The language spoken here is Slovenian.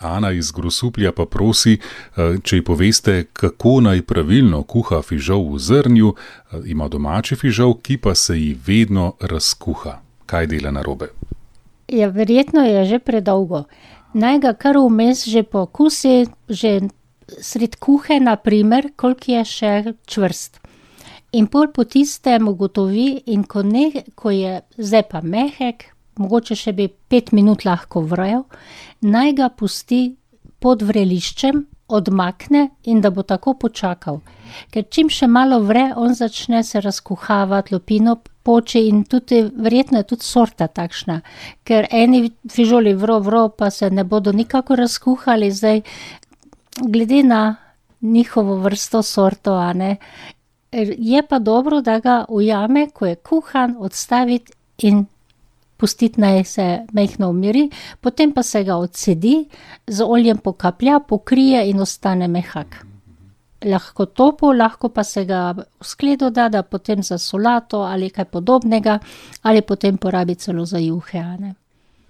Ana iz Grosuplja pa prosi, če ji poveste, kako naj pravilno kuha fižol v zrnju. Ima domači fižol, ki pa se ji vedno razkuha. Kaj dela narobe? Ja, verjetno je že predolgo. Naj ga kar vmes že pokusi, že sred kuhe, na primer, koliko je še čvrst. In pol po tistem ugotovi, in ko je zdaj pa mehek, mogoče še bi 5 minut lahko vrel, naj ga pusti pod vreliščem, odmakne in da bo tako počakal. Ker čim še malo vre, on začne se razkuhavati, lupino poči in tudi, verjetno je tudi sorta takšna. Ker eni fižoli vro, pa se ne bodo nikako razkuhali, zdaj glede na njihovo vrsto, sorto, a ne. Je pa dobro, da ga ujame, ko je kuhan, odstaviti in pustiti, naj se majhno umiri, potem pa se ga odsedi, z oljem pokaplja, pokrije in ostane mehak. Lahko topel, lahko pa se ga v skledo da potem za solato ali kaj podobnega, ali potem porabi celo za juhe, a ne.